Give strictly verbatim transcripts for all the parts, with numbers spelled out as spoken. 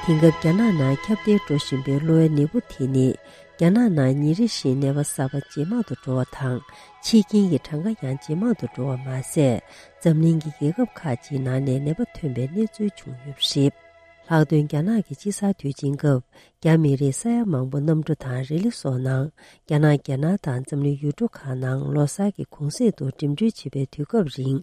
དེང་སྐབས་རྒྱ་ནག་ནང་ཁྱབ་གདལ་འགྲོ་བཞིན་པའི་གློ་བའི་ནད་འབུ་དེ་ནི། རྒྱ་ནག་ནང་ཉིན་རེ་བཞིན་ནད་པ་གསར་པ་ཇེ་མང་དུ་འགྲོ་བ་དང་། འཆི་རྐྱེན་གྱི་གྲངས་ཀ་ཡང་ཇེ་མང་དུ་འགྲོ་བ་མ་ཟད། འཛམ་གླིང་གི་རྒྱལ་ཁབ་ཁག་ཅིག་ནང་ནས་ནད་པ་ཐོན་པའི་གནས་ཚུལ་བྱུང་ཡོད་པ་རེད། ལྷག་དོན་རྒྱ་ནག་གི་དཔྱིད་གསར་དུས་ཆེན་སྐབས། རྒྱ་མི་རིགས་ས་ཡ་མང་པོ་གནམ་གྲུ་དང་རི་ལི་སོགས་ནང་། རྒྱ་ནག་རྒྱལ་ནང་དང་འཛམ་གླིང་ཡུལ་གྲུ་ཁག་ནང་ལོ་གསར་གྱི་གུང་གསེང་དུ་འགྲིམ་འགྲུལ་བྱེད་པའི་དུས་སྐབས་རིང་།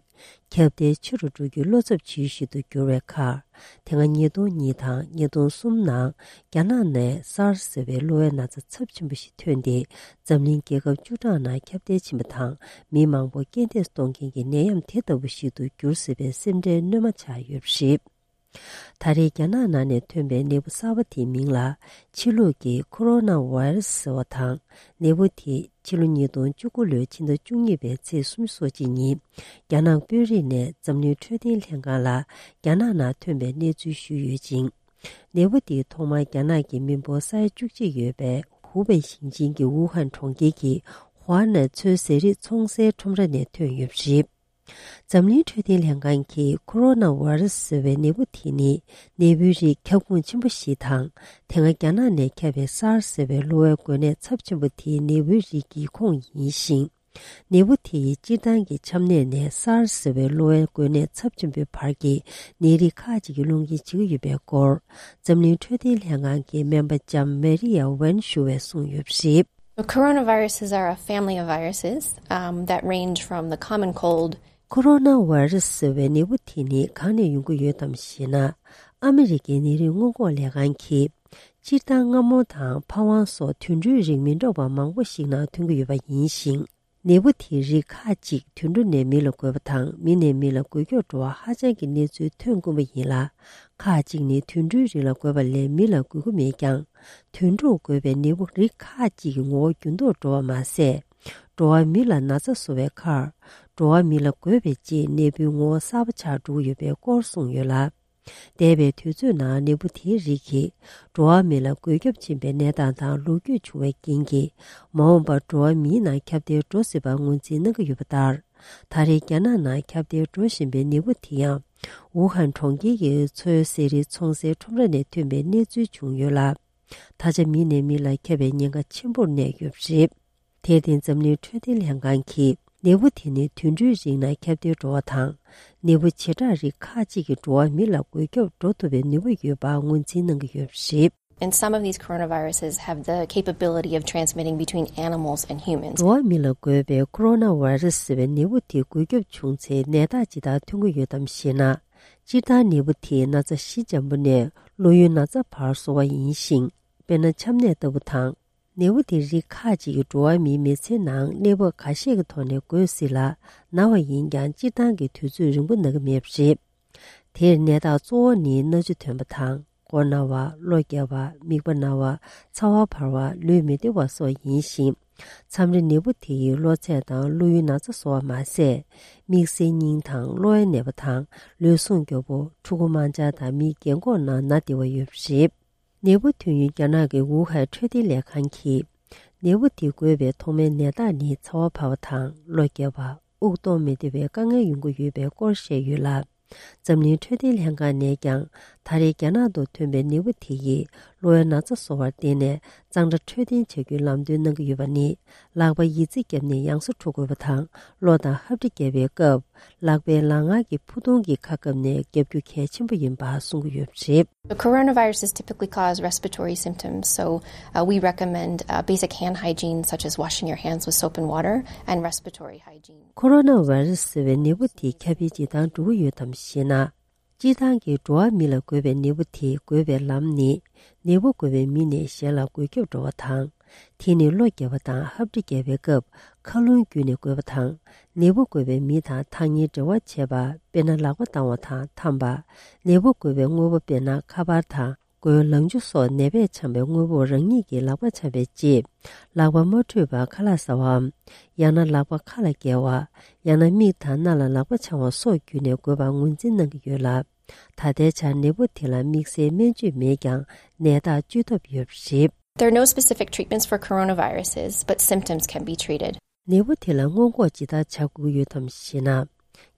ཁྱབ་གདལ་ཆེ་རུ་འགྲོ་རྒྱུའི་བློ་འཚབ་བྱེད་ཡུལ་ཞིག་ཏུ་གྱུར་བའི་ཁར། དེ་སྔ་ཉིས་སྟོང་གཉིས་དང་ཉིས་སྟོང་གསུམ་ནང་རྒྱ་ནག་ནས་སཱར་ཟེར་བའི་གློ་བའི་ན་ཚ་ཚབས་ཆེན་པོ་ཞིག་ཐོན་ཏེ། འཛམ་གླིང་རྒྱལ་ཁབ་བཅུ་གྲངས་ནང་ཁྱབ་གདལ་ཕྱིན་པ་དང་། མི་མང་པོ་རྐྱེན་འདས་གཏོང་མཁན་གྱི་ནད་ཡམས་དེ་ལྟ་བུ་ཞིག་ཏུ་གྱུར་སྲིད་པའི་སེམས་ཁྲལ་སྣོན་མ་ཆགས་ཡོད་པ་རེད། ད་རེས་རྒྱ་ནག་ནང་ནས་ཐོན་པའི་ནད་འབུ་གསར་པ་དེའི་མིང་ལ། ཕྱི་ལུགས་ཀྱི་ཁོ་རོ་ན་ཝའི་རུ་སི་ཟེར་བ་དང་། ནད་འབུ་དེ་ཕྱི་ལོ་ཉིས་སྟོང་བཅུ་དགུ་ལོའི་ཕྱི་ཟླ་བཅུ་གཉིས་པའི་ཚེས་སུམ་ཅུ་སོ་གཅིག་ཉིན། རྒྱ་ནག་དཔོན་རིགས་ནས་འཛམ་གླིང་འཕྲོད་བསྟེན་ལྷན་ཁང་ལ་རྒྱ་ནག་ནང་ཐོན་པའི་གནས་ཚུལ་ཞུས་ཡོད་ཅིང་། ནད་འབུ་དེ་ཐོག་མར་རྒྱ་ནག་གི་མི་འབོར་ས་ཡ་བཅུ་གཅིག་ཡོད་པའི་ཧུའུ་པེ་ཞིང་ཆེན་གྱི་ཝུ་ཧན་གྲོང་ཁྱེར་གྱི་ཧྭ་ནན་མཚོའི་ཟས་རིགས་འཚོང་སའི་ཁྲོམ་ར་ནས་ཐོན་ཡོད་པ་རེད། འཛམ་གླིང་འཕྲོད་བསྟེན་ལྷན་ཁང་གིས་ཁོ་རོ་ན་ཝའི་རུ་སི་ཟེར་བའི་ནད་འབུ་དེ་ནི་ནད་འབུའི་རིགས་ཁྱབ་ཁོངས་ཆེན་པོ་ཞིག་དང་། དེ་སྔ་རྒྱ་ནག་ནས་ཁྱབ་པའི་སཱར་ཟེར་བའི་གློ་བའི་འགོས་ནད་ཚབས་ཆེན་པོ་དེའི་ནད་འབུའི་རིགས་ཀྱི་ཁོངས་ཡིན་ཞིང་། ནད་འབུ་དེ་ཡིས་སྤྱིར་བཏང་གི་ཆམ་ནད་ནས་སཱར་ཟེར་བའི་གློ་བའི་འགོས་ནད་ཚབས་ཆེན་པོའི་བར་གྱི་ནད་རིགས་ཁག་ཅིག་གི་སློང་རྐྱེན་བྱེད་ཀྱི་ཡོད་པའི་སྐོར། འཛམ་གླིང་འཕྲོད་བསྟེན་ལྷན་ཁང་གི་སྨན་པ་ལྕམ་མེ་རི་ཡ་ཝན་ཞུ་བས་གསུངས་ཡོད་པ་རེད། So coronaviruses are a family of viruses, um, that range from the common cold. ཁོ་རོ་ན་ཝའི་རུ་སི་ཟེར་བའི་ནད་འབུ་དེ་ནི་གང་ནས་ཡོང་གི་ཡོད་དམ་ཞེ་ན། ཨ་མི་རི་ཀའི་ནད་རིགས་སྔོན་འགོག་ལས་ཁང་གིས། སྤྱིར་བཏང་རྔ་མོང་དང་ཕ་ཝང་སོགས་དུད་འགྲོའི་རིགས་མི་འདྲ་བ་མང་པོ་ཞིག་ནང་ཐོན་གྱི་ཡོད་པ་ཡིན་ཞིང་། ནད་འབུ་དེའི་རིགས་ཁག་ཅིག་དུད་འགྲོ་ནས་མི་ལ་འགོས་པ་དང་། མི་ནས་མི་ལ་འགོས་ཁྱབ་འགྲོ་བ་ཧ་ཅང་གི་གནས་ཚུལ་ཐོན་དཀོན་པོ་ཡིན་ལ། ཁག་ཅིག་ནི་དུད་འགྲོའི་རིགས་ལ་འགོས་པ་ལས་མི་ལ་འགོས་ཀྱི་མེད་ཀྱང་། དུད་འགྲོར་འགོས་པའི་ནད་འབུ་རིགས་ཁག་ཅིག་གི་ངོ་བོ་འགྱུར་ལྡོག་འགྲོ་བ་མ་ཟད། འགྲོ་བ་མི་ལ་ན་ཚ་བཟོ་བའི་ཁར། འགྲོ་བ་མི་ལ་འགོས་པའི་རྗེས་ནད་འབུའི་ངོ་བོ་གསར་པ་ཆགས་འགྲོ་གི་ཡོད་པའི་སྐོར་གསུངས་ཡོད་ལ། འདས་པའི་དུས་ཚོད་ནང་ནད་འབུ་དེའི་རིགས་ཀྱིས་འགྲོ་བ་མི་ལ་འགོས་ཁྱབ་ཕྱིན་པའི་གནས་སྟངས་དང་ལོ་རྒྱུས་བྱུང་བའི་རྐྱེན་གྱིས། མ་འོངས་པར་འགྲོ་བ་མིའི་ནང་ཁྱབ་གདལ་འགྲོ་སྲིད་པར་ངོས་འཛིན་གནང་གི་ཡོད་པ་ལྟར། ད་རེས་རྒྱ་ནག་ནང་ཁྱབ་གདལ་འགྲོ་བཞིན་པའི་ནད་འབུ་དེ་ཡང་། ཝུ་ཧན་གྲོང་ཁྱེར་གྱི་མཚོའི་ཟས་རིགས་འཚོང་སའི་ཁྲོམ་ར་ནས་ཐོན་པའི་གནས་ཚུལ་བྱུང་ཡོད་ལ། ད་ཆ་མི་ནས་མི་ལ་ཁྱབ་པའི་ཉེན་ཁ་ཆེན་པོར་གནས་ཡོད་པ་རེད། དེར་བརྟེན་འཛམ་གླིང་འཕྲོད་བསྟེན་ལྷན་ཁང་གིས་ནད་འབུ་དེ་ནི་དུད་འགྲོའི་རིགས་ནང་ཁྱབ་གདལ་འགྲོ་བ་དང་། ནད་འབུ་བྱེ་བྲག་རིགས་ཁག་ཅིག་གིས་འགྲོ་བ་མི་ལ་འགོས་ཁྱབ་འགྲོ་ཐུབ་པའི་ནུས་པ་ཡོད་པ་ངོས་འཛིན་གནང་གི་ཡོད་པ་རེད། And some of these coronaviruses have the capability of transmitting between animals and humans. འགྲོ་བ་མི་ལ་འགོས་པའི་ཁོ་རོ་ན་ཝའི་རུ་སི་ཟེར་བའི་ནད་འབུ་དེ་འགོས་ཁྱབ་བྱུང་ཚེ་ནད་རྟགས་ཇི་ལྟར་ཐོན་གྱི་ཡོད་དམ་ཞེ་ན། སྤྱིར་བཏང་ནད་འབུ་དེས་ན་ཚ་གཞི་འཇམ་པོ་ནས་གློ་ཡུའི་ན་ཚ་བར་བཟོ་བ་ཡིན་ཞིང་། དཔེར་ན་ཆམ་ནད་ལྟ་བུ་དང་། ནད་འབུ་དེ་རིགས་ཁག་ཅིག་གིས་འགྲོ་བ་མིའི་མི་ཚེའི་ནང་གནས་བབ་ཁ་ཤས་ཀྱི་ཐོག་ནས་འགོས་སྲིད་ལ། ན་བ་ཡིན་ཀྱང་སྤྱིར་བཏང་གི་དུས་ཚོད་རིང་པོ་ན་གི་མེད་པ་རེད། དེར་ནད་རྟགས་གཙོ་བོ་ནི་སྣ་ཆུ་ཐོན་པ་དང་། མགོ་ན་བ། གློ་བརྒྱབ་པ། མིད་པ་ན་བ། ཚ་བ་འཕར་བ། ལུས་མི་བདེ་བ་སོགས་ཡིན་ཞིང་། མཚམས་རེ་ནད་འབུ་དེ་ཡིས་གློ་ཚད་དང་གློ་ཡུའི་ན་ཚ་བཟོ་བ་མ་ཟད། དམིགས་བསལ་སྙིང་དང་གློ་བའི་ནད་པ་དང་། ལུས་ཟུངས་སྐྱོ་པོ། ཕྲུ་གུ་དམར་འབྱར་དང་མིའི་རྒན་འཁོགས་ནང་ན་བདེ་བ་ཡོད་པ་རེད། ནད་འབུ་ཐོན་ཡུལ་རྒྱ་ནག་གི་ཝུ་ཧན་འཕྲོད་བསྟེན་ལས་ཁང་གིས། ནད་འབུ་དེ་འགོས་པའི་ཐོག་མའི་ནད་རྟགས་ནི་ཚ་བ་འཕར་བ་དང་གློ་བརྒྱབ་པ། དབུགས་གཏོང་མི་བདེ་བའི་དཀའ་ངལ་ཡོང་གི་ཡོད་པའི་སྐོར་བཤད་ཡོད་ལ། འཛམ་གླིང་འཕྲོད་བསྟེན་ལྷན་ཁང་ནས་ཀྱང་ད་རེས་རྒྱ་ནག་ཏུ་ཐོན་པའི་ནད་འབུ་དེ་ཡིས་གློ་བའི་ན་ཚ་བཟོ་བར་བརྟེན་ནས་གཙང་སྦྲ་འཕྲོད་བསྟེན་བྱ་རྒྱུའི་ལམ་སྟོན་གནང་གི་ཡོད་པ་ནི། ལག་པ་ཡི་ཙི་བརྒྱབ་ནས་ཡང་སེ་འཁྲུ་དགོས་པ་དང་། གློ་དང་ཧབ་དྲི་བརྒྱབ་པའི་སྐབས། ལག་པའི་ལག་ངར་གྱི་ཕུ་ཐུང་གི་ཁ་བཀབ་ནས་བརྒྱབ་རྒྱུ་གལ་ཆེན་པོ་ཡིན་པ་གསུང་གི་ཡོད་པ་རེད། The coronavirus is typically cause respiratory symptoms, so uh, we recommend uh, basic hand hygiene, such as washing your hands with soap and water, and respiratory hygiene. ཁོ་རོ་ན་ཝའི་རུ་སི་ཟེར་བའི་ནད་འབུ་དེ་ཁྱབ་སྤེལ་ཇི་ལྟར་འགྲོ་གི་ཡོད་དམ་ཞེ་ན། སྤྱིར་བཏང་གི་འགྲོ་བ་མི་ལ་འགོས་པའི་ནད་འབུ་དེ་འགོས་པའི་ལམ་ནི། ནད་འབུ་འགོས་པའི་མི་ནས་གཞན་ལ་འགོས་ཁྱབ་འགྲོ་བ་དང་། དེ་ནི་གློ་བརྒྱབ་པ་དང་ཧབ་དྲི་བརྒྱབ་པའི་སྐབས་ཁ་རླུང་བརྒྱུད་ནས་འགོས་པ་དང་། ནད་འབུ་འགོས་པའི་མི་དང་ཐག་ཉེའི་འབྲེལ་བ་བྱས་པ། དཔེར་ན་ལག་པ་བཏང་བ་དང་འཐམ་པ། ནད་འབུ་འགོས་པའི་དངོས་པོ་དཔེར་ན་ཁ་པར་དང་། མགོའི་ལང་ཚོ་སོགས་ནད་པས་འཆང་བའི་དངོས་པོར་རང་ཉིད་ཀྱིས་ལག་པ་འཆང་བའི་རྗེས། ལག་པ་མ་འཁྲུད་པར་ཁ་ལག་ཟ་བའམ། ཡང་ན་ལག་པ་ཁ་ལ་བཀལ་བ། ཡང་ན་མིག་དང་སྣ་ལ་ལག་པ་འཆང་བ་སོགས་བརྒྱུད་ནས་འགོས་པར་ངོས་འཛིན་གནང་གི་ཡོད་ལ། ད་ལྟའི་ཆར་ནད་འབུ་དེ་ལ་དམིགས་བསལ་སྨན་བཅོས་མེད་ཀྱང་ནད་རྟགས་བཅོས་ཐབས་ཡོད་པ་རེད། There are no specific treatments for coronaviruses, but symptoms can be treated. ནད་འབུ་དེ་ལ་སྔོན་འགོག་ཇི་ལྟར་བྱ་དགོས་ཀྱི་ཡོད་དམ་ཞེ་ན།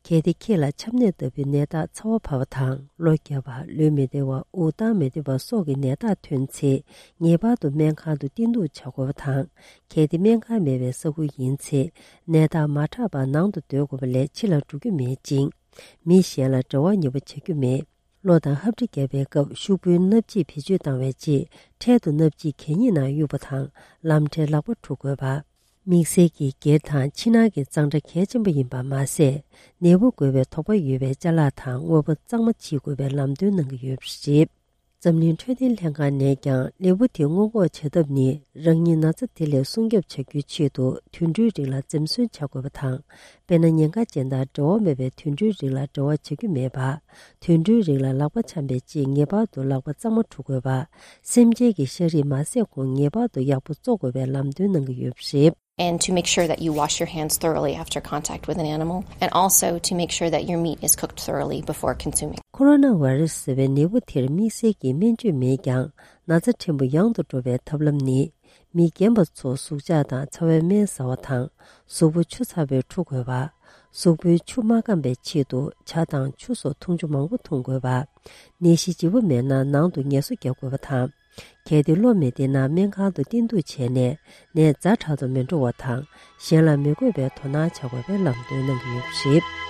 གལ་ཏེ་ཁྱེད་ལ་ཆམ་ནད་ལྟ་བུའི་ནད་རྟགས་ཚ་བ་བབས་པ་དང་། གློ་བརྒྱབ་པ། ལུས་མི་བདེ་བ། དབུགས་བཏང་མི་བདེ་བ་སོགས་ཀྱི་ནད་རྟགས་ཐོན་ཚེ། ངེས་པར་དུ་སྨན་ཁང་དུ་བསྟེན་གཏུགས་བྱ་དགོས་པ་དང་། གལ་ཏེ་སྨན་ཁང་མེད་པའི་ས་ཁུལ་ཡིན་ཚེ། ནད་རྟགས་མ་དྲག་པར་ནང་དུ་སྡོད་དགོས་པ་ལས་ཕྱི་ལ་འགྲོ་རྒྱུ་མེད་ཅིང་། མི་གཞན་ལ་འབྲེལ་བ་ཉེ་པོ་བྱ་རྒྱུ་མེད། གློ་དང་ཧབ་སྦྲིད་བརྒྱབ་པའི་སྐབས་ཤུག་པོའི་སྣབས་ཕྱིས་བེད་སྤྱོད་བཏང་བའི་རྗེས། འཕྲལ་དུ་སྣབས་ཕྱིས་གད་སྙིགས་ནང་གཡུག་པ་དང་། ལམ་འཕྲལ་ལག་པ་འཁྲུ་དགོས་པ། དམིགས་བསལ་གྱིས་སྒེར་དང་ཕྱི་ནང་གི་གཙང་སྦྲ་གལ་ཆེན་པོ་ཡིན་པ་མ་ཟད། ནད་འབུ་འགོས་པའི་དོགས་པ་ཡོད་པའི་ཅ་ལག་དང་དངོས་པོ་གཙང་མ་ཕྱིས་དགོས་པའི་ལམ་སྟོན་གནང་གི་ཡོད་པ་རེད། འཛམ་གླིང་འཕྲོད་བསྟེན་ལྷན་ཁང་ནས་ཀྱང་ནད་འབུ་དེ་སྔོན་འགོག་བྱ་ཐབས་ནི། རང་ཉིད་ན་ཚ་དེ་ལས་སྲུང་སྐྱོབ་བྱ་རྒྱུའི་ཆེད་དུ། དུད་འགྲོའི་རིགས་ལ་འཛེམ་ཟོན་བྱ་དགོས་པ་དང་། དཔེར་ན། ཉེན་ཁ་ཅན་དང་འབྲེལ་བ་མེད་པའི་དུད་འགྲོའི་རིགས་ལ་འབྲེལ་བ་བྱ་རྒྱུ་མེད་པ། དུད་འགྲོའི་རིགས་ལ་ལག་པ་འཆང་པའི་རྗེས་ངེས་པར་དུ་ལག་པ་གཙང་མ་འཁྲུ་དགོས་པ། སེམས་ཅན་གྱི་ཤ་རིགས་མ་བཟས་གོང་ངེས་པར་དུ་ཡག་པོ་བཙོ་དགོས་པའི་ལམ་སྟོན་གནང་གི་ཡོད་པ་རེད། And to make sure that you wash your hands thoroughly after contact with an animal, and also to make sure that your meat is cooked thoroughly before consuming. ཁོ་རོ་ན་བྷ་ར་སི་ཟེར་བའི་ནད་འབུ་དེར་དམིགས་བསལ་གྱི་སྨན་བཅོས་མེད་ཀྱང་། ན་ཚ་ཕྲན་བུ་ཡང་དུ་འགྲོ་བའི་ཐབས་ལམ་ནི། མི་རྒན་པ་ཚོ་ཟུག་འཇག་དང་ཚ་བའི་སྨན་ཟ་བ་དང་། གཟུགས་པོ་ཆུ་ཚ་བས་འཁྲུ་དགོས་པ། གཟུགས་པོའི་ཆུ་མ་སྐམ་པའི་ཆེད་དུ་ཇ་དང་ཆུ་སོགས་འཐུང་ཆུ་མང་པོ་འཐུང་དགོས་པ། ནད་གཞི་ལྗིད་པོ་མེད་ན་ནང་དུ་ངལ་གསོ་རྒྱག་དགོས་པ་དང་། གལ་ཏེ་གློ་མི་བདེ་ན་སྨན་ཁང་དུ་བསྟེན་གཏུགས་བྱས་ནས་ནད་ཛ་དྲག་ཏུ་མི་འགྲོ་བ་དང་། གཞན་ལ་མི་འགོས་པའི་དོ་སྣང་བྱ་དགོས་པའི་ལམ་སྟོན་གནང་གི་ཡོད་པ་རེད།